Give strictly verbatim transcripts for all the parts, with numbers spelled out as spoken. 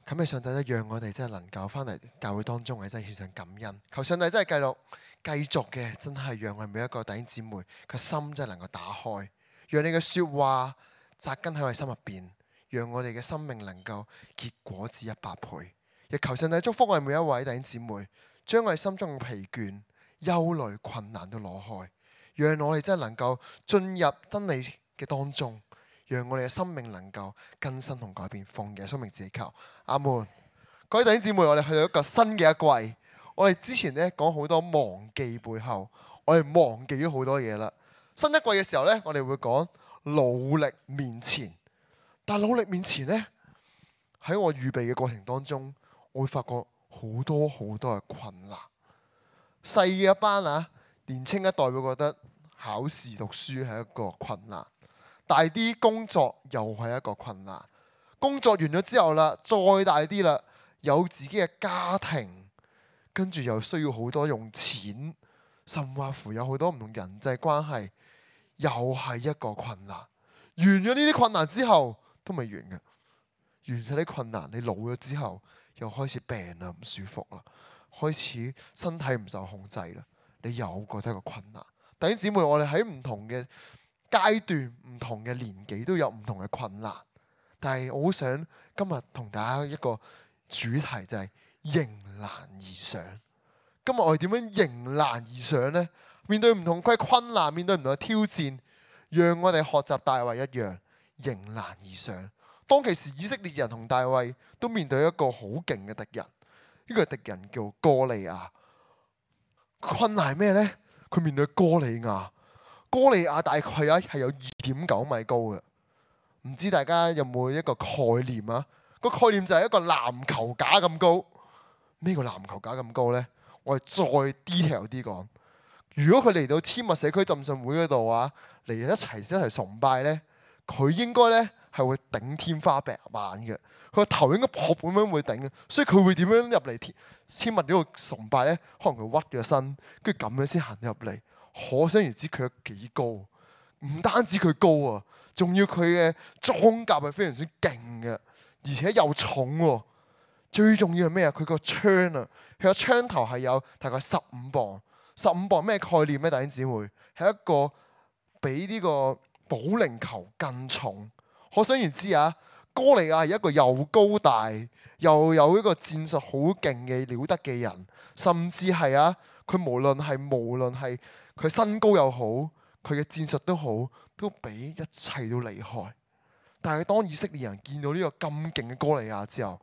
感謝上帝咧，讓我哋真係能夠翻嚟教會當中，係真係獻上感恩。求上帝真係繼續繼續嘅，真係讓我哋每一個弟兄姊妹個心真係能夠打開，讓你嘅説話扎根喺我哋心入邊，讓我哋嘅生命能夠結果子一百倍。亦求上帝祝福我哋每一位弟兄姊妹，將我哋心中嘅疲倦、憂慮、困難都攞開，讓我哋真係能夠進入真理嘅當中。讓我哋嘅生命能夠更新同改變，奉耶穌名字求，阿門。各位弟兄姊妹，我哋去到一個新嘅一季。我哋之前咧講好多忘記背後，我哋忘記咗好多嘢啦。新一季嘅時候咧，我哋會講努力面前。但係努力面前咧，喺我預備嘅過程當中，我會發覺好多好多嘅困難。細嘅一班啊，年青一代會覺得考試讀書係一個困難。大啲工作又係一個困難，工作完咗之後啦，再大啲啦，有自己嘅家庭，跟住又需要好多用錢，甚或乎有好多唔同人際關係，又係一個困難。完咗呢啲困難之後都未完嘅，完晒啲困難，你老咗之後又開始病啦，唔舒服啦，開始身體唔受控制啦，你又覺得一個困難。弟兄姊妹，我哋喺唔同嘅階段、唔同嘅年紀都有唔同嘅困難，但係我好想今日同大家一個主題就係迎難而上。今日我哋點樣迎難而上呢？面對唔同嘅困難，面對唔同嘅挑戰，讓我哋學習大衛一樣迎難而上。當其時以色列人同大衛都面對一個好勁嘅敵人，呢個敵人叫歌利亞。困難係咩呢？佢面對歌利亞。歌利亞大概啊係有二點九米高嘅，唔知大家有冇一個概念啊？個概念就係一個籃球架咁高。咩叫籃球架咁高呢？我哋再 detail 啲講。如果佢嚟到千物社區浸信會嗰度啊，嚟一齊一齊崇拜呢，佢應該呢係會頂天花板嘅。佢個頭應該撲咁樣會頂嘅，所以佢會點樣入嚟千物呢度崇拜呢？可能佢屈咗身，跟住咁樣先行入嚟。可想而知佢有幾高，唔單止佢高啊，仲要佢嘅裝甲係非常之勁嘅，而且又重喎。最重要係咩啊？佢個槍啊，佢個槍頭係有大概十五磅。十五磅咩概念咧？弟兄姊妹，係一個比呢個保齡球更重。可想而知啊，歌利亞係一個又高大又有一個戰術好勁嘅了得嘅人，甚至係啊，佢無論係無論係佢身高又好，佢嘅戰術都好，都比一切都厲害。但係當以色列人見到呢個咁勁嘅歌利亞之後，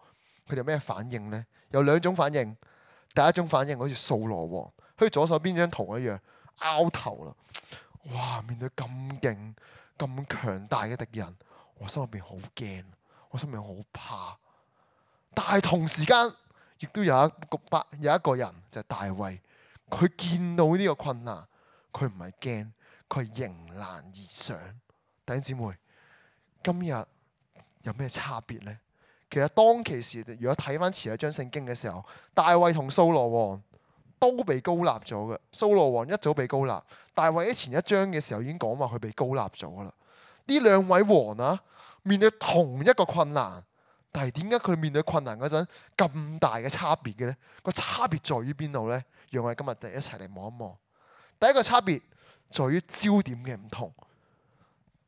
佢哋有咩反應呢？有兩種反應。第一種反應好似掃羅王，好似左手邊張圖一樣，拗頭啦！哇！面對咁勁、咁強大嘅敵人，我心入邊好驚，我心入邊好怕。但係同時間，亦都有一個百有一個人就係大衛，佢見到呢個困難。佢唔係驚，佢係迎難而上。弟兄姊妹，今日有咩差別呢？其實當其時，如果睇翻前一章聖經嘅時候，大衛同掃羅王都被膏立咗嘅。掃羅王一早被膏立，大衛喺前一章嘅時候已經講話佢被膏立咗噶啦。呢兩位王啊，面對同一個困難，但係點解佢面對困難嗰陣咁大嘅差別嘅呢？個差別在於邊度呢？讓我哋今日一齊嚟望一望。第一個差別在於焦點嘅唔同。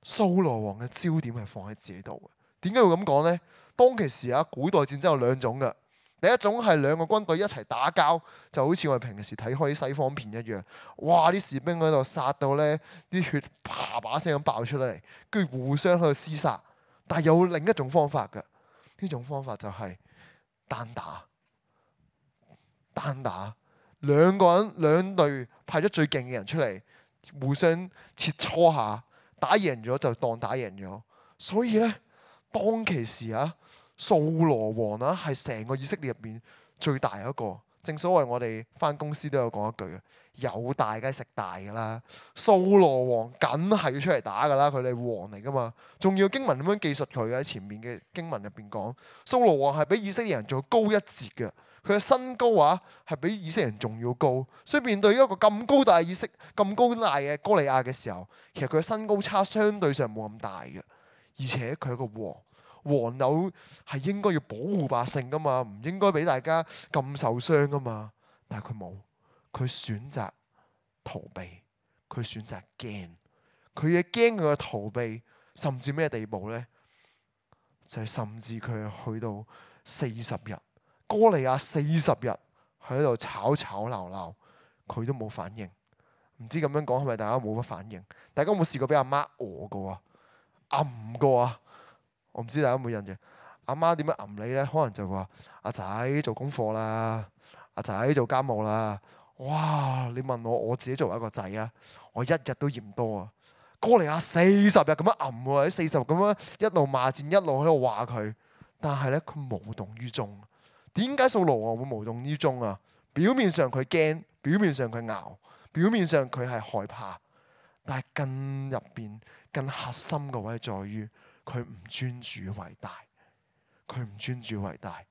掃羅王嘅焦點係放喺自己度嘅。點解會咁講呢？當其時啊，古代戰爭有兩種嘅。第一種係兩個軍隊一齊打交，就好似我哋平時睇開啲西方片一樣。哇！啲士兵喺度殺到咧，啲血啪把聲咁爆出嚟，跟住互相喺度廝殺。但係有另一種方法嘅，呢種方法就係單打。單打。兩個人兩隊派咗最勁嘅人出嚟，互相切磋下，打贏咗就當打贏咗。所以咧，當其時啊，掃羅王啊係成個以色列入邊最大一個。正所謂我哋返公司都有講一句嘅，有大梗係食大㗎啦。掃羅王梗係要出嚟打㗎啦，佢哋王嚟㗎嘛。仲要經文咁樣記述佢嘅，喺前面嘅經文入邊講，掃羅王係比以色列人仲高一截嘅。佢嘅身高啊，係比以色列人仲要高，所以面對一個咁高大以色咁高大嘅歌利亞嘅時候，其實佢嘅身高差相對上冇咁大嘅，而且佢係一個王，王有係應該要保護百姓噶嘛，唔應該俾大家咁受傷噶嘛。但係佢冇，佢選擇逃避，佢選擇驚。佢嘅驚，佢嘅逃避，甚至咩地步呢？就係、是、甚至佢係去到四十日，歌利亞四十日喺度吵吵鬧鬧，佢都冇反應。唔知咁樣講係咪大家冇乜反應？大家有冇試過俾阿媽餓過啊？揞過啊？我唔知大家有冇印象。阿媽點樣揞你呢？可能就話阿仔做功課啦，阿仔做家務啦。哇！你問我，我自己作為一個仔啊，我一日都嫌多啊。歌利亞四十日咁樣揞喎，喺四十日咁樣一路罵戰，一路喺度話佢。但係咧，佢無動於衷。點解掃羅王會無動於衷啊？表面上佢驚，表面上佢拗，表面上佢係害怕，但係更入邊、更核心嘅位在於佢唔尊主為大。佢唔尊主為大。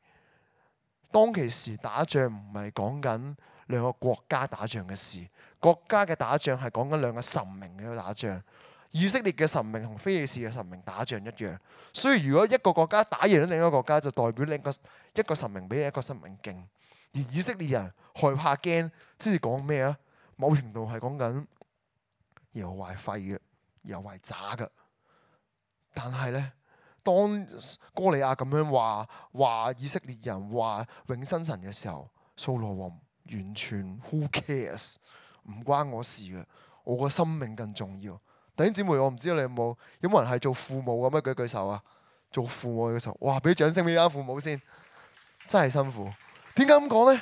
當其時打仗唔係講緊兩個國家打仗嘅事，國家嘅打仗係講緊兩個神明嘅打仗。以色列嘅神明同非利士嘅神明打仗一樣，所以如果一個國家打贏咗另一個國家，就代表另一個一個神明比另一個神明勁。而以色列人害怕驚，即係講咩啊？某程度係講緊耶和華係廢嘅，耶和華係渣嘅。但係咧，當歌利亞咁樣話話以色列人話永生神嘅時候，掃羅王完全 who cares， 唔關我事嘅，我個生命更重要。弟兄姊妹，我唔知道你有冇有冇人係做父母咁樣？舉舉手啊！做父母嘅時候，哇！俾掌聲俾啱父母先，真係辛苦。點解咁講呢？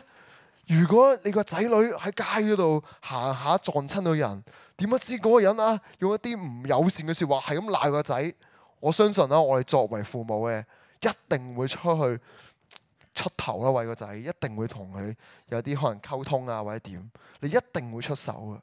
如果你個仔女喺街嗰度行下撞親到人，點不知嗰個人啊用一啲唔友善嘅説話係咁鬧個仔？我相信啦，我哋作為父母嘅一定會出去出頭啦，為個仔一定會同佢有啲可能溝通啊，或者點，你一定會出手嘅。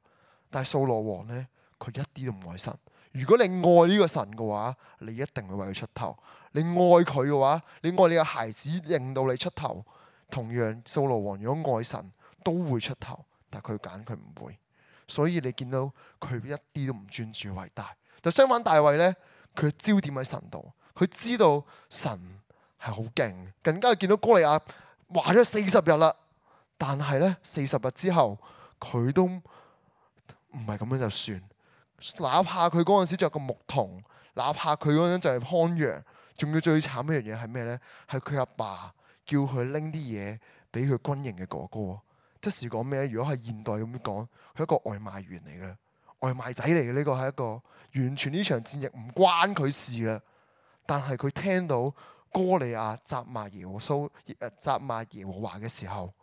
但係掃羅王呢？佢一啲都唔愛神。如果你愛呢個神嘅話，你一定會為佢出頭。你愛佢嘅話，你愛你嘅孩子，令到你出頭。同樣，掃羅王如果愛神，都會出頭。但係佢揀佢唔會。所以你見到佢一啲都唔尊主為大。但相反，大衛呢，佢焦點喺神度。佢知道神係好勁，更加見到歌利亞話咗四十日啦。但係呢，四十日之後，佢都唔係咁樣就算。哪怕佢嗰陣時着個牧童，哪怕佢嗰陣就係看羊，仲要最慘一樣嘢係咩呢？係佢阿爸叫佢拎啲嘢俾佢軍營嘅哥哥。即是講咩咧？如果係現代咁講，佢係一個外賣員嚟嘅，外賣仔嚟嘅。呢個係一個完全呢場戰役唔關佢事嘅。但係佢聽到歌利亞責罵耶和蘇誒責罵耶和華嘅時候，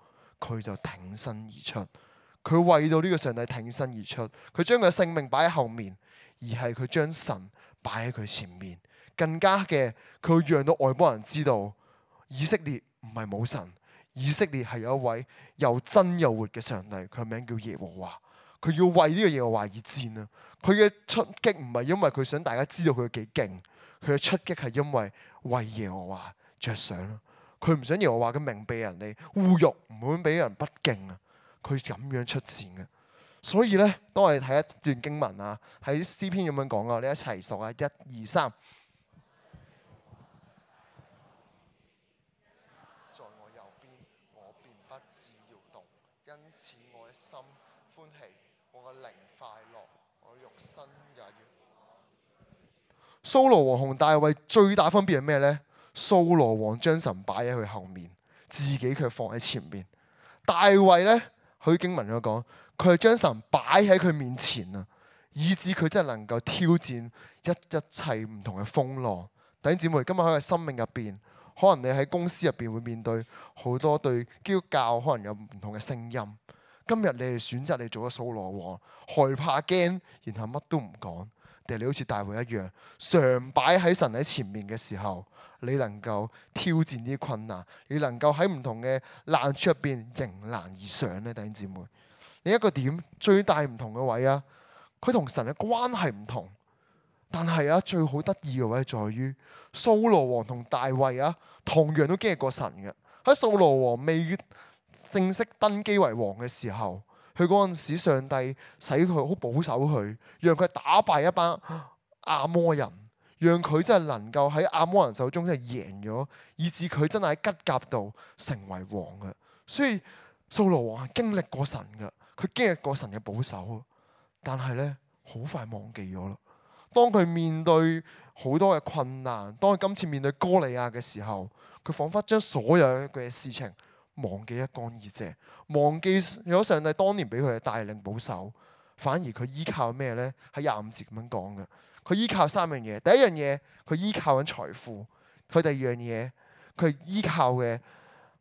佢就挺身而出。佢為到呢個上帝挺身而出，佢將佢嘅性命擺喺後面，而係佢將神擺喺佢前面。更加嘅，佢會讓到外邦人知道，以色列唔係冇神，以色列係有一位又真又活嘅上帝，佢名叫耶和華。佢要為呢個耶和華而戰啊！佢嘅出擊唔係因為佢想大家知道佢有幾勁，佢嘅出擊係因為為耶和華着想啦。佢唔想耶和華嘅名被人哋侮辱，唔會俾人不敬啊！佢咁樣出戰嘅，所以咧，當我哋睇一段經文啊，喺詩篇咁樣講啊，你一齊讀啊，一二三。在我右邊，我便不致搖動，因此我嘅心歡喜，我嘅靈快樂，我肉身也要。掃羅王同大衛最大分別係咩咧？掃羅王將神擺喺佢後面，自己卻放喺前面。大衛咧。佢經文咁講，佢係將神擺喺佢面前啊，以致佢真係能夠挑戰一一切唔同嘅風浪。弟兄姊妹，今日喺佢生命入邊，可能你喺公司入邊會面對好多對基督教可能有唔同嘅聲音。今日你係選擇你做咗掃羅王，害怕驚，然後乜都唔講，定係你好似大衛一樣，常擺喺神喺前面嘅時候，你能夠挑戰呢啲困難，你能夠喺唔同嘅難處入邊迎難而上呢？弟兄姊妹，另一個點最大唔同嘅位啊，佢同神嘅關係唔同，但係啊最好得意嘅位在於掃羅王同大衛啊，同樣都經歷過神嘅。喺掃羅王未正式登基為王嘅時候，佢嗰陣時上帝使佢好保守佢，讓佢打敗一班亞摩人。讓佢真係能夠喺亞摩人手中真係贏咗，以致佢真係喺吉甲度成為王嘅。所以掃羅王係經歷過神嘅，佢經歷過神嘅保守，但係咧好快忘記咗啦。當佢面對好多嘅困難，當佢今次面對哥利亞嘅時候，佢彷彿將所有嘅事情忘記一乾二淨，忘記咗上帝當年俾佢嘅帶領保守，反而佢依靠咩咧？喺廿五節咁樣講嘅，佢依靠三樣嘢。第一樣嘢，佢依靠緊財富；佢第二樣嘢，佢依靠嘅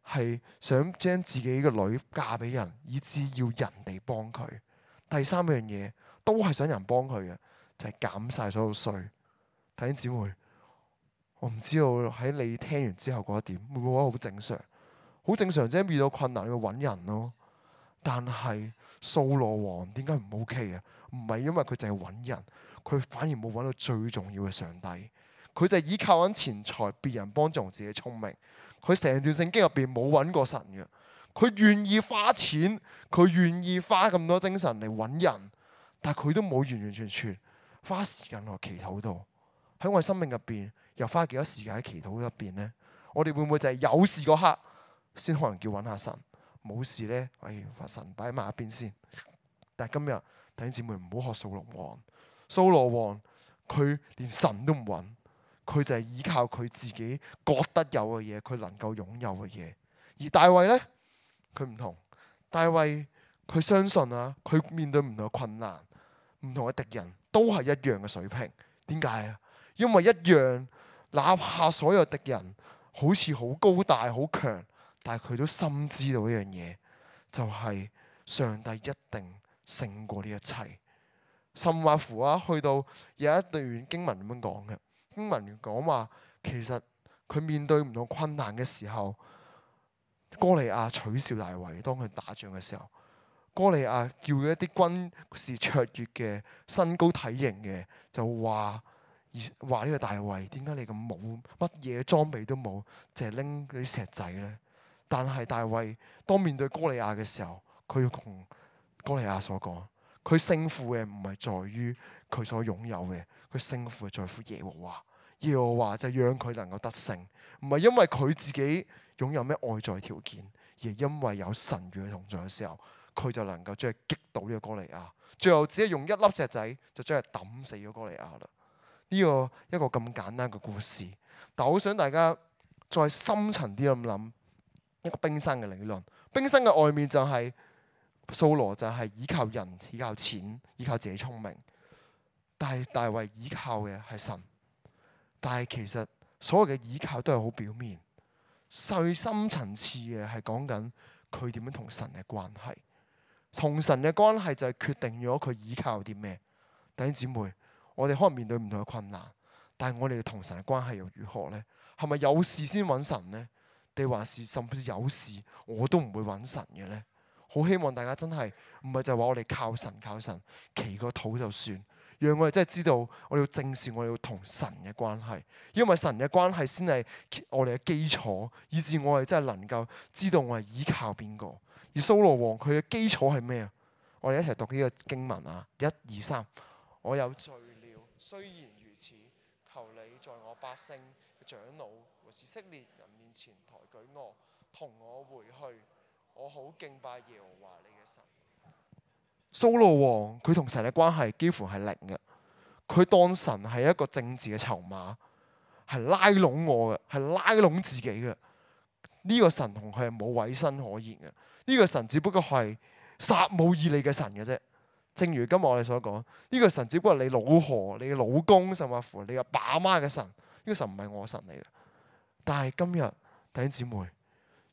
係想將自己嘅女嫁俾人，以致要人哋幫佢。第三樣嘢都係想人幫佢嘅，就係減晒所有稅。弟兄姊妹，我唔知道喺你聽完之後覺得點，會唔會覺得好正常？好正常啫，遇到困難要揾人咯。但係掃羅王點解唔 OK 啊？唔係因為佢淨係揾人，佢反而冇揾到最重要嘅上帝。佢就係依靠緊錢財，別人幫助自己聰明。佢成段聖經入邊冇揾過神嘅。佢願意花錢，佢願意花咁多精神嚟揾人，但係佢都冇完完全全花時間落祈禱度。喺我哋生命入邊，又花幾多時間喺祈禱入邊呢？我哋會唔會就係有事嗰刻先可能叫揾下神？冇事呢，哎，把神擺埋一邊先。但係今日弟兄姊妹唔好學掃羅王。掃羅王佢連神都唔揾，佢就係依靠佢自己覺得有嘅嘢，佢能夠擁有嘅嘢。而大衛呢，佢唔同。大衛佢相信啊，佢面對唔同嘅困難、唔同嘅敵人，都係一樣嘅水平。點解啊？因為一樣，哪怕所有敵人好似好高大、好強，但係佢都深知道一樣嘢，就係上帝一定勝過呢一切。甚或乎啊，去到有一段經文咁樣講嘅，經文講話其實佢面對唔同困難嘅時候，哥利亞取笑大衛。當佢打仗嘅時候，哥利亞叫一啲軍事卓越嘅、身高體型嘅，就話話呢個大衛，點解你咁冇乜嘢裝備都冇，淨係拎嗰啲石仔呢？但係大衛當面對哥利亞嘅時候，佢要同哥利亞所講，佢勝負嘅唔係在於佢所擁有嘅，佢勝負係在乎耶和華。耶和華就讓佢能夠得勝，唔係因為佢自己擁有咩外在條件，而係因為有神與佢同在嘅時候，佢就能夠將佢擊倒呢個哥利亞。最後只係用一粒石仔就將佢抌死咗哥利亞啦。呢個一個咁簡單嘅故事，但我好想大家再深層啲咁諗一個冰山嘅理論。冰山嘅外面就係掃羅就係依靠人、依靠錢、依靠自己聰明，但係大衛依靠嘅係神。但係其實所有嘅依靠都係好表面，最深層次嘅係講緊佢點樣同神嘅關係。同神嘅關係就係決定咗佢依靠啲咩。弟兄姊妹，我哋可能面對唔同嘅困難，但係我哋同神嘅關係又如何呢？係咪有事先揾神呢？定還是甚至有事我都唔會揾神嘅呢？好希望大家真係唔係就係話我哋靠神靠神，祈個禱就算。讓我哋真係知道，我哋要正視我哋要同神嘅關係，因為神嘅關係先係我哋嘅基礎，以致我哋真係能夠知道我係依靠邊個。而掃羅王佢嘅基礎係咩啊？我哋一齊讀呢個經文啊！一二三，我有罪了，雖然如此，求你在我百姓嘅長老和以色列人面前抬舉我，同我回去，我好敬拜耶和華你嘅神。掃羅王佢同神嘅關係幾乎係零嘅，佢當神係一個政治嘅籌碼，係拉攏我嘅，係拉攏自己嘅。呢個神同佢係冇委身可言嘅，呢個神只不過係撒母耳你嘅神嘅啫。正如今日我哋所講，呢個神只不過係你老婆、你嘅老公，甚至乎你阿爸阿媽嘅神。呢個神唔係我神嚟嘅。但係今日弟兄姊妹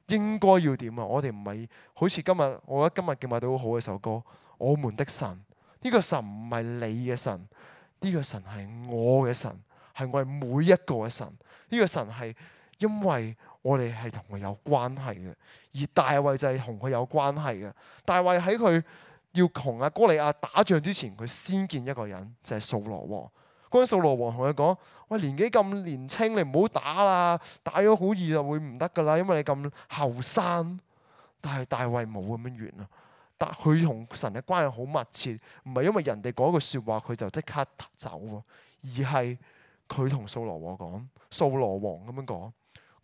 應該要點啊？我哋唔係好似今日，我覺得今日敬拜到好好嘅首歌。我們的神，呢個神唔係你嘅神，呢個神係我嘅神，係我哋每一個嘅神。呢個神係因為我哋係同佢有關係嘅，而大衛就係同佢有關係嘅。大衛喺佢要同阿哥利亞打仗之前，佢先見一個人，就係掃羅王。嗰陣掃羅王同佢講：喂，年紀咁年輕，你唔好打啦，打咗好易就會唔得噶啦，因為你咁後生。但係大衛冇咁樣完啊！但佢同神嘅關係好密切，唔係因為人哋講一句説話佢就即刻走喎，而係佢同掃羅王講，掃羅王咁樣講，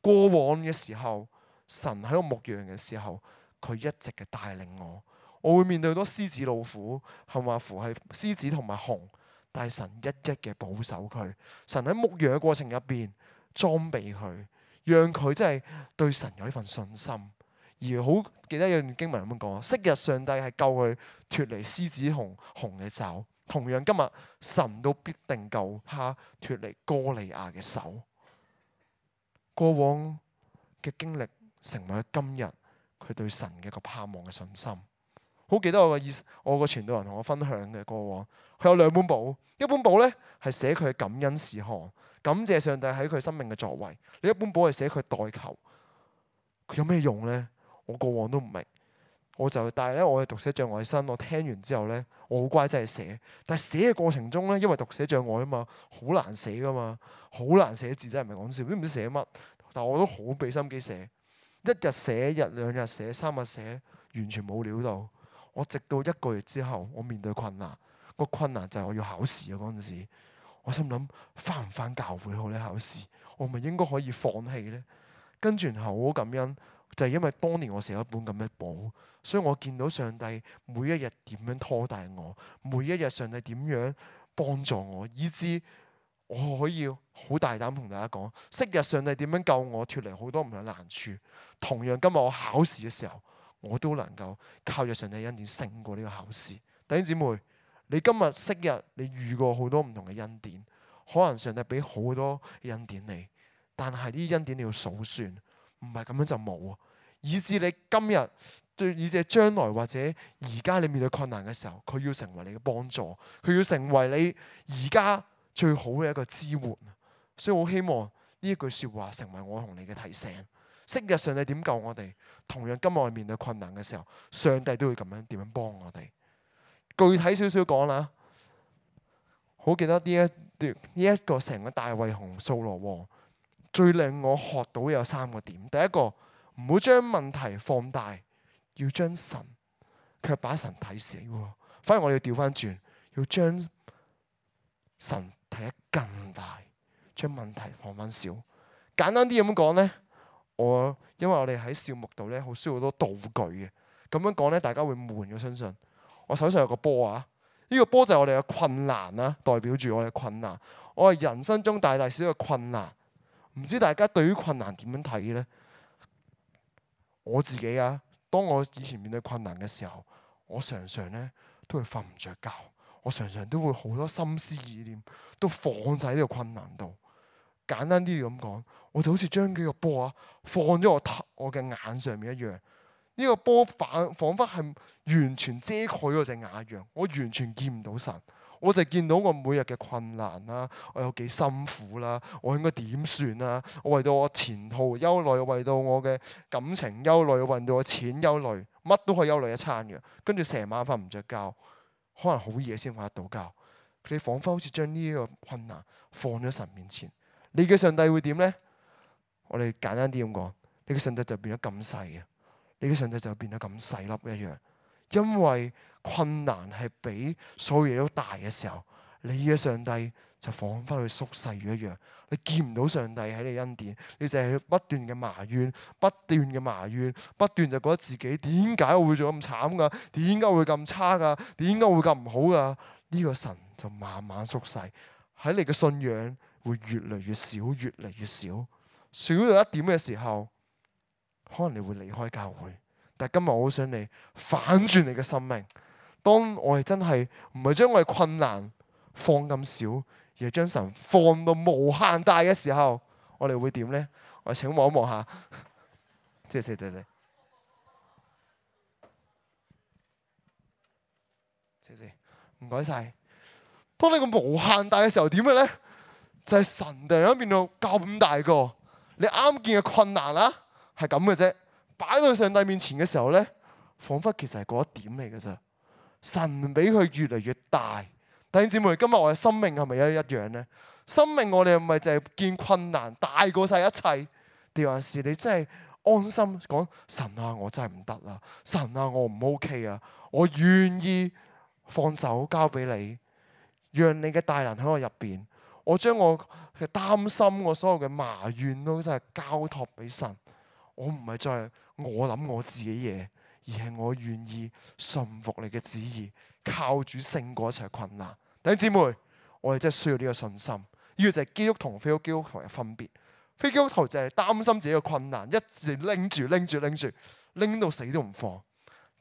過往嘅時候，神喺我牧羊嘅時候，佢一直嘅帶領我。我會面對好多獅子老虎，係咪乎係獅子同埋熊，但係神一一嘅保守佢。神喺牧羊嘅過程入邊裝備佢，讓佢真係對神有呢份信心。而好記得有段經文咁樣講，昔日上帝係救佢脫離獅子同熊嘅爪，同樣今日神都必定救他脫離歌利亞嘅手。過往嘅經歷成為今日佢對神嘅個盼望嘅信心。好記得我個意，我個傳道人同我分享嘅過往，佢有兩本簿，一本簿咧係寫佢嘅感恩事項，感謝上帝喺佢生命嘅作為；另一本簿係寫佢代求。佢有咩用咧？我過往都唔明，我就但係咧，我係讀寫障礙生，我聽完之後咧，我好乖真係寫。但係寫嘅過程中咧，因為讀寫障礙啊嘛，好難寫噶嘛，好難寫字真係唔係講笑，都唔知寫乜。但我都好俾心機寫，一日寫一日，兩日寫，三日寫，完全冇料到。我直到一個月之後，我面對困難，個困難就係我要考試啊！嗰陣時，我心諗返唔返教會好咧？考試，我咪應該可以放棄咧？跟住然後好感恩，就係因為當年我寫一本咁嘅簿，所以我見到上帝每一日點樣拖帶我，每一日上帝點樣幫助我，以致我可以好大膽同大家講，昔日上帝點樣救我脫離好多唔同嘅難處，同樣今日我考試嘅時候，我都能夠靠着上帝恩典勝過呢個考試。弟兄姊妹，你今日昔日你遇過好多唔同嘅恩典，可能上帝俾好多恩典你，但係呢啲恩典你要數算，唔係咁樣就冇啊。以至你今日對，以至將來或者而家你面對困難嘅時候，佢要成為你嘅幫助，佢要成為你而家最好嘅一個支援。所以我好希望呢一句說話成為我同你嘅提醒。昔日上帝點救我哋，同樣今日我面對困難嘅時候，上帝都會咁樣點樣幫我哋。具體少少講啦，好記得呢一段呢一個成個大衛同掃羅王，最令我學到有三個點。第一個，唔好將問題放大，要將神卻把神睇死。反而我哋要調翻轉，要將神睇得更大，將問題放翻少。簡單啲咁講咧。我因為我哋喺笑牧度咧，好需要好多道具嘅。咁樣講咧，大家會悶，我相信。我手上有個波啊，呢、這個波就係我哋嘅困難啦，代表住我哋嘅困難。我係人生中大大小小嘅困難。唔知大家對於困難點樣睇咧？我自己啊，當我以前面對困難嘅時候，我常常咧都會瞓唔着覺，我常常都會好多心思意念都放喺呢個困難度。簡單啲咁講，我就好似將幾個波啊放咗我頭我嘅眼上面一樣。呢、這個波反彷彿係完全遮蓋咗隻眼一樣，我完全見唔到神。我就見到我每日嘅困難啦，我有幾辛苦啦，我應該點算啊？我為到我前途憂慮，為到我嘅感情憂慮，為到我錢憂慮，乜都可以憂慮一餐嘅。跟住成晚瞓唔着覺，可能好夜先瞓得到覺。佢哋彷彿好似將呢個困難放咗神面前。你嘅上帝會點呢？我哋簡單啲咁講，你嘅上帝就變咗咁細嘅，你嘅上帝就變咗咁細粒一樣。因為困難係比所有嘢都大嘅時候，你嘅上帝就彷彿去縮細咗一樣。你見唔到上帝喺你恩典，你就係不斷嘅埋怨，不斷嘅埋怨，不斷就覺得自己點解我會做咁慘㗎？點解會咁差㗎？點解會咁唔好㗎？呢個神就慢慢縮細，喺你嘅信仰會越嚟越少，越嚟越少，少到一點嘅時候，可能你會離開教會。但係今日我好想你反轉你嘅生命。當我哋真係唔係將我哋困難放咁少，而係將神放到無限大嘅時候，我哋會點呢？我請望一望下，謝謝謝謝謝謝，唔該晒。當你個無限大嘅時候，點嘅呢？就係神突然間變到咁大個，你啱見嘅困難啦，係咁嘅啫。擺到上帝面前嘅時候咧，彷彿其實係嗰一點嚟嘅咋。神俾佢越嚟越大。弟兄姊妹，今日我嘅生命係咪一一樣咧？生命我哋係咪就係見困難大過晒一切？定還是你真係安心講神啊？我真係唔得啦！神啊，我唔 OK 啊！我願意放手交俾你，讓你嘅大能喺我入邊。我將我嘅擔心，我所有嘅埋怨都真係交託俾神。我唔係再我諗我自己嘢，而係我願意順服你嘅旨意，靠主勝過一切困難。弟兄姊妹，我哋真係需要呢個信心。呢個就係基督徒同非基督徒嘅分別。非基督徒就係擔心自己嘅困難，一直拎住拎住拎住，拎到死都唔放。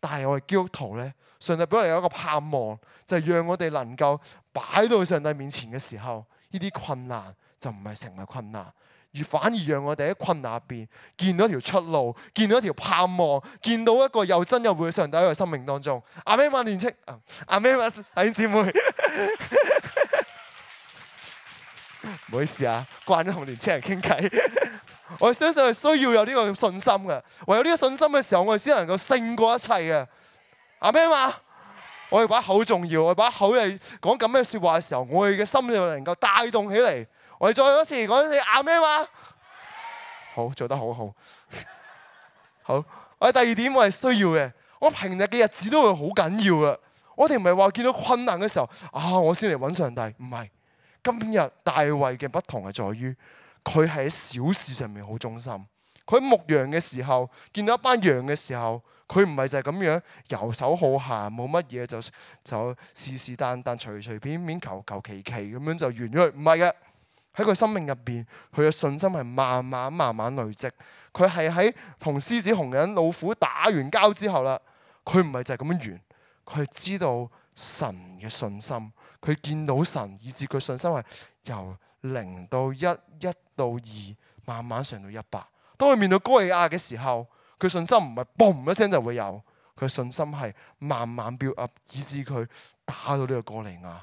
但係我哋基督徒咧，上帝俾我哋有一個盼望，就係讓我哋能夠擺到上帝面前嘅時候，呢啲困難就唔係成為困難，而反而讓我哋喺困難入邊見到一條出路，見到一條盼望，見到一個又真又活嘅上帝喺我生命當中。阿們嘛，年青，阿們嘛，弟兄姊妹，唔好意思啊，慣咗同年青人傾偈。我相信係需要有呢個信心嘅，唯有呢個信心嘅時候，我哋先能夠勝過一切嘅。阿們嘛，我哋把口重要，我哋把口嚟講咁嘅説話嘅時候，我哋嘅心就能夠帶動起嚟。我哋再一次講一次阿們嘛，好，做得好好。好，我哋第二點我係需要嘅，我平日嘅日子都會好緊要嘅。我哋唔係話見到困難嘅時候啊，我先嚟揾上帝，唔係。今日大衛嘅不同係在於，佢係喺小事上面好忠心。佢喺牧羊嘅時候，見到一班羊嘅時候，佢唔係就係咁樣遊手好閒，冇乜嘢就就是是但但隨隨便便求求其其咁樣就完咗。唔係嘅，喺佢生命入邊，佢嘅信心係慢慢慢慢累積。佢係喺同獅子、熊人、老虎打完交之後啦，佢唔係就係咁樣完，佢係知道神嘅信心。佢見到神，以致佢信心係由零到一，一到二，慢慢上到一百。當佢面對哥利亞嘅時候，佢信心唔係嘣一聲就會有，佢信心係慢慢 build up，以致佢打到呢個哥利亞。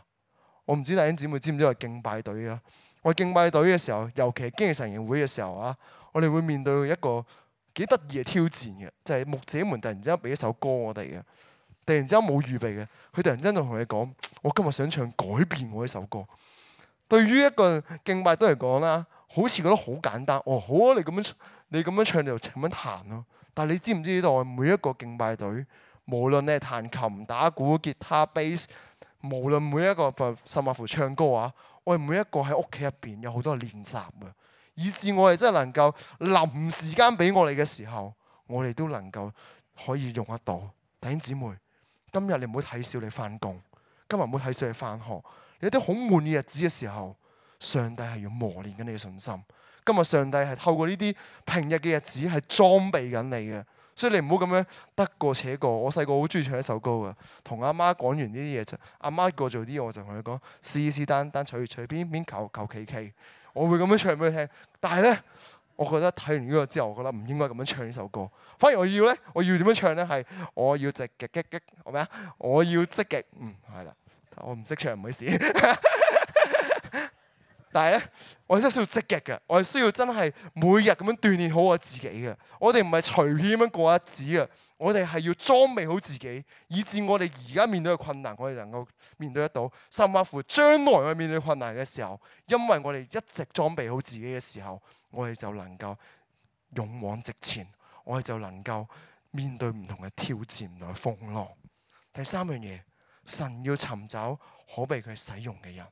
我唔知弟兄姊妹知唔知我係敬拜隊啊？我敬拜隊嘅時候，尤其係經歷晨營會嘅時候啊，我哋會面對一個幾得意嘅挑戰嘅，就係牧者們突然之間俾一首歌我哋嘅。突然之間冇預備嘅，佢突然之間就同你講：我今日想唱改變我呢首歌。對於一個敬拜隊嚟講啦，好似覺得好簡單。哦，好啊，你咁樣你咁樣唱你就咁樣彈咯。但係你知唔知道每一個敬拜隊，無論你係彈琴、打鼓、吉他、bass， 無論每一個甚至乎唱歌啊，我哋每一個喺屋企入邊有好多練習嘅，以致我哋真係能夠臨時間俾我哋嘅時候，我哋都能夠可以用得到。弟兄姊妹，今日你唔好睇小你翻工，今日唔好睇小你翻學。你有啲好悶嘅日子嘅時候，上帝係要磨練緊你嘅信心。今日上帝係透過呢啲平日嘅日子係裝備緊你嘅，所以你唔好咁樣得過且過。我細個好中意唱一首歌嘅，同阿媽講完呢啲嘢就，阿媽叫我做啲嘢，我就同佢講是是但但隨隨便便求求其其，我會咁樣唱俾佢聽。但係咧，我覺得睇完呢個之後，我覺得唔應該咁樣唱呢首歌。反而我要咧，我要點樣唱咧？係我要積極積極，係咪啊？我要積極，嗯，係啦。我唔識唱，唔好意思。但係咧，我真係需要積極嘅，我係需要真係每日咁樣鍛鍊好我自己嘅。我哋唔係隨便咁樣過日子嘅，我哋係要裝備好自己，以致我哋而家面對嘅困難，我哋能夠面對得到。甚至乎將來我哋面對困難嘅時候，因為我哋一直裝備好自己嘅時候，我哋就能夠勇往直前，我哋就能夠面對唔同嘅挑戰同埋風浪。第三樣嘢，神要尋找可被佢使用嘅人。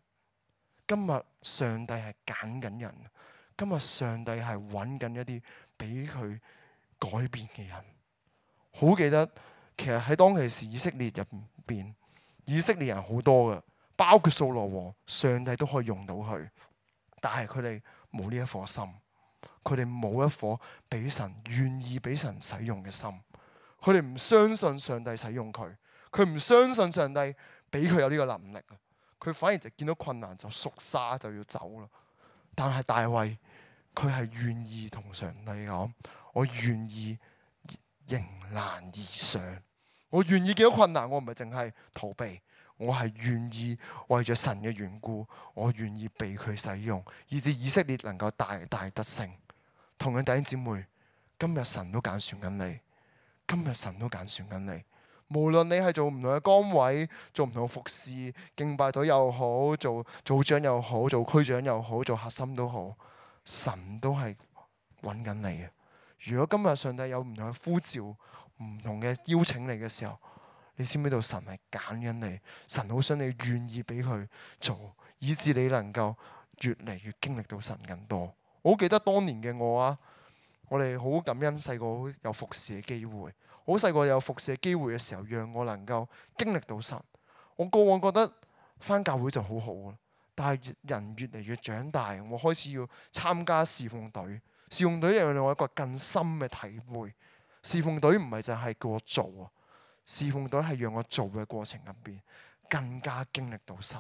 今日上帝係揀緊人，今日上帝係揾緊一啲俾佢改變嘅人。好記得，其實喺當其時以色列入邊，以色列人好多嘅，包括掃羅王，上帝都可以用到佢，但係佢哋冇呢一顆心，佢哋冇一顆俾神願意俾神使用嘅心，佢哋唔相信上帝使用佢，佢唔相信上帝俾佢有呢個能力。佢反而就見到困難就縮沙就要走啦。但係大衛佢係願意同上帝講：我願意迎難而上，我願意見到困難，我唔係淨係逃避，我係願意為咗神嘅緣故，我願意被佢使用，以致以色列能夠大大得勝。同樣弟兄姊妹，今日神都揀選緊你，今日神都揀選緊你。無論你係做唔同嘅崗位，做唔同嘅服侍，敬拜隊又好，做組長又好，做區長又好，做核心都好，神都係揾緊你嘅。如果今日上帝有唔同嘅呼召、唔同嘅邀請你嘅時候，你知唔知道神係揀緊你？神好想你願意俾佢做，以致你能夠越嚟越經歷到神更多。我好記得當年嘅我啊，我哋好感恩細個有服侍嘅機會，好細個有服侍嘅機會嘅時候，讓我能夠經歷到神。我過往覺得返教會就好好啦，但係人越嚟越長大，我開始要參加侍奉隊。侍奉隊讓我一個更深嘅體會。侍奉隊唔係就係叫我做啊，侍奉隊係讓我做嘅過程入邊更加經歷到神。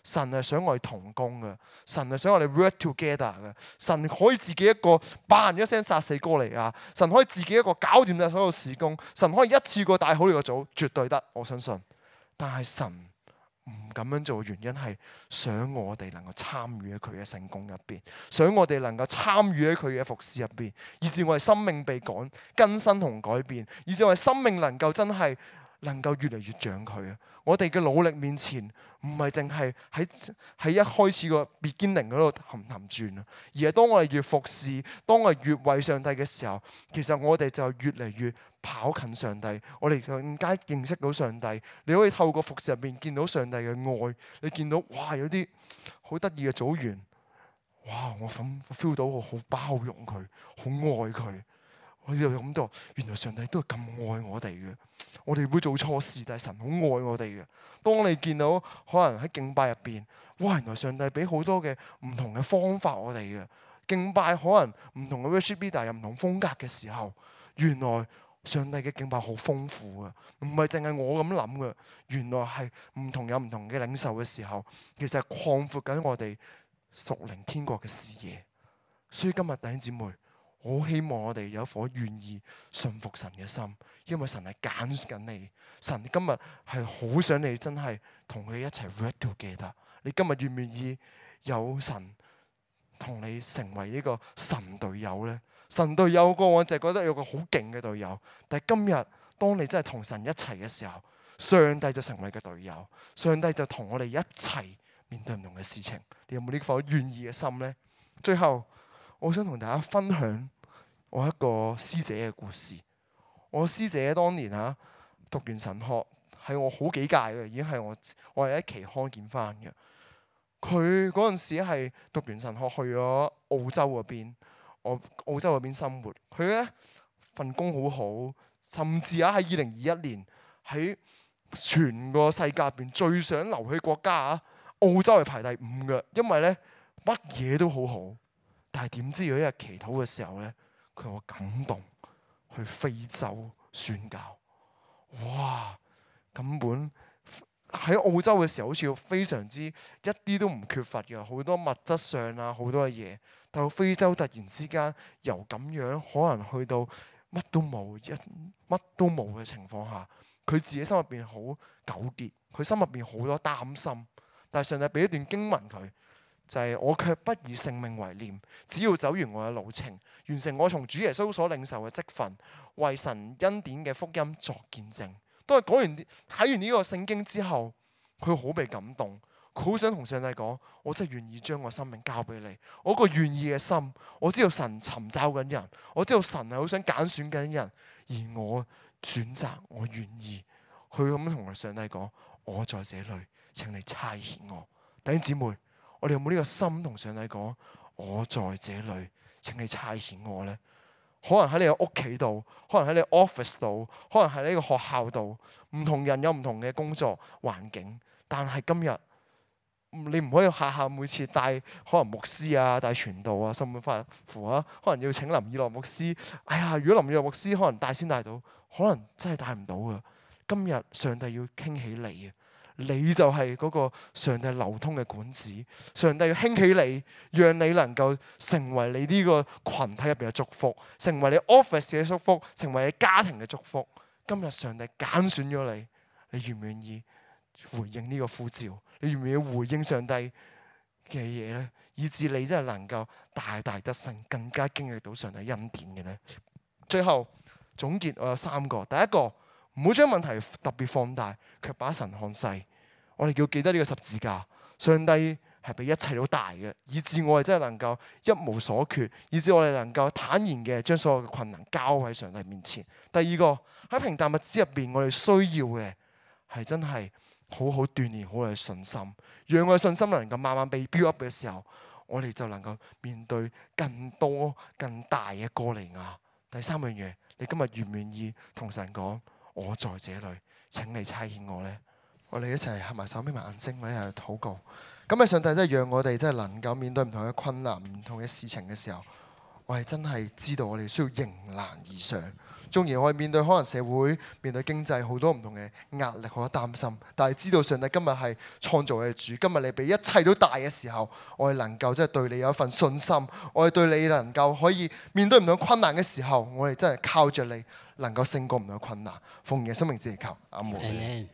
神係想我哋同工嘅，神係想我哋 work together 嘅。神可以自己一個扮一聲殺死哥利亞，神可以自己一個搞掂晒所有事工，神可以一次過帶好呢個組，絕對得，我相信。但係神唔咁樣做嘅原因係想我哋能夠參與喺佢嘅聖工入邊，想我哋能夠參與喺佢嘅服事入邊，以至我哋生命被改更新同改變，以至我哋生命能夠真係能夠越嚟越像佢啊！我哋嘅努力面前，唔係淨係喺喺一開始個 beginning 嗰度氹氹轉啊，而係當我哋越服侍，當我哋越為上帝嘅時候，其實我哋就越嚟越跑近上帝，我哋更加認識到上帝。你可以透過服侍入邊見到上帝嘅愛，你見到哇有啲好得意嘅組員，哇我 feel 到我好包容佢，好愛佢。我就諗到，原來上帝都係咁愛我哋嘅。我哋會做錯事，但係神好愛我哋嘅。當你見到可能喺敬拜入邊，哇！原來上帝俾好多嘅唔同嘅方法我哋嘅敬拜，可能唔同嘅 worship leader 有唔同風格嘅時候，原來上帝嘅敬拜好豐富嘅，唔係淨係我咁諗嘅。原來係唔同有唔同嘅領受嘅時候，其實係擴闊緊我哋屬靈天國嘅視野。所以今日弟兄姊妹，我好希望我哋有一顆願意信服神嘅心，因為神係揀緊你。神今日係好想你真係同佢一齊 work together。你今日願唔願意有神同你成為呢個神隊友呢？神隊友過往就係覺得有個好勁嘅隊友，但係今日當你真係同神一齊嘅時候，上帝就成為你嘅隊友，上帝就同我哋一齊面對唔同嘅事情。你有冇呢顆願意嘅心呢？最後，我想同大家分享我一個師姐嘅故事。我師姐當年嚇讀完神學，係我好幾屆嘅，已經係我我係喺期刊見翻嘅。佢嗰陣時係讀完神學去咗澳洲嗰邊，我澳洲嗰邊生活。佢咧份工好好，甚至啊喺二零二一年喺全個世界入邊最想留去國家啊，澳洲係排第五嘅，因為咧乜嘢都好好。但係點知有一日祈禱嘅時候咧，佢有感動去非洲宣教。哇！根本喺澳洲嘅時候好似非常之一啲都唔缺乏嘅，好多物質上啊好多嘅嘢。但到非洲突然之間由咁樣可能去到乜都冇，一乜都冇嘅情況下，佢自己心入邊好糾結，佢心入邊好多擔心。但係上帝俾一段經文佢。就係我卻不以性命為念，只要走完我嘅路程，完成我從主耶穌所領受嘅職分，為神恩典嘅福音作見證。都係講完睇完呢個聖經之後，佢好被感動，佢好想同上帝講：我真係願意將我生命交俾你。我個願意嘅心，我知道神尋找緊人，我知道神係好想揀選緊人，而我選擇，我願意。佢咁樣同上帝講：我在這裏，請你差遣我。弟兄姊妹。我哋有冇呢個心同上帝講？我在這裏，請你差遣我呢？可能喺你嘅屋企度，可能喺你 office 度，可能喺呢個學校度，唔同人有唔同嘅工作環境。但係今日你唔可以下下每次帶可能牧師啊、帶傳道啊、甚至乎啊，可能要請林以諾牧師。哎呀，如果林以諾牧師可能帶先帶到，可能真係帶唔到噶。今日上帝要傾起你啊！你就係嗰個上帝流通嘅管子，上帝要興起你，讓你能夠成為你呢個群體入邊嘅祝福，成為你 office 嘅祝福，成為你家庭嘅祝福。今日上帝揀選咗你，你願唔願意回應呢個呼召？你願唔願意回應上帝嘅嘢呢？以致你真係能夠大大得勝，更加經歷到上帝恩典嘅呢？最後總結，我有三個。第一個，唔好將問題特別放大，卻把神看細。我哋要記得呢個十字架，上帝係比一切都大嘅，以致我哋真係能夠一無所缺，以致我哋能夠坦然嘅將所有嘅困難交喺上帝面前。第二個，喺平淡日子入邊，我哋需要嘅係真係好好鍛鍊好我哋信心，讓我哋信心能夠慢慢被 build up 嘅時候，我哋就能夠面對更多更大嘅歌利亞。第三樣嘢，你今日願唔願意同神講，我在這裏，請你差遣我呢？我哋一齊合埋手，眯埋眼睛，我哋一齊禱告。咁啊，上帝真係讓我哋真係能夠面對唔同嘅困難、唔同嘅事情嘅時候，我係真係知道我哋需要迎難而上。縱然我哋面對可能社會、面對經濟好多唔同嘅壓力、好多擔心，但係知道上帝今日係創造嘅主，今日你比一切都大嘅時候，我哋能夠即係對你有一份信心，我哋對你能夠可以面對唔同困難嘅時候，我哋真係靠着你能夠勝過唔同困難。奉耶穌名字祈求，阿門。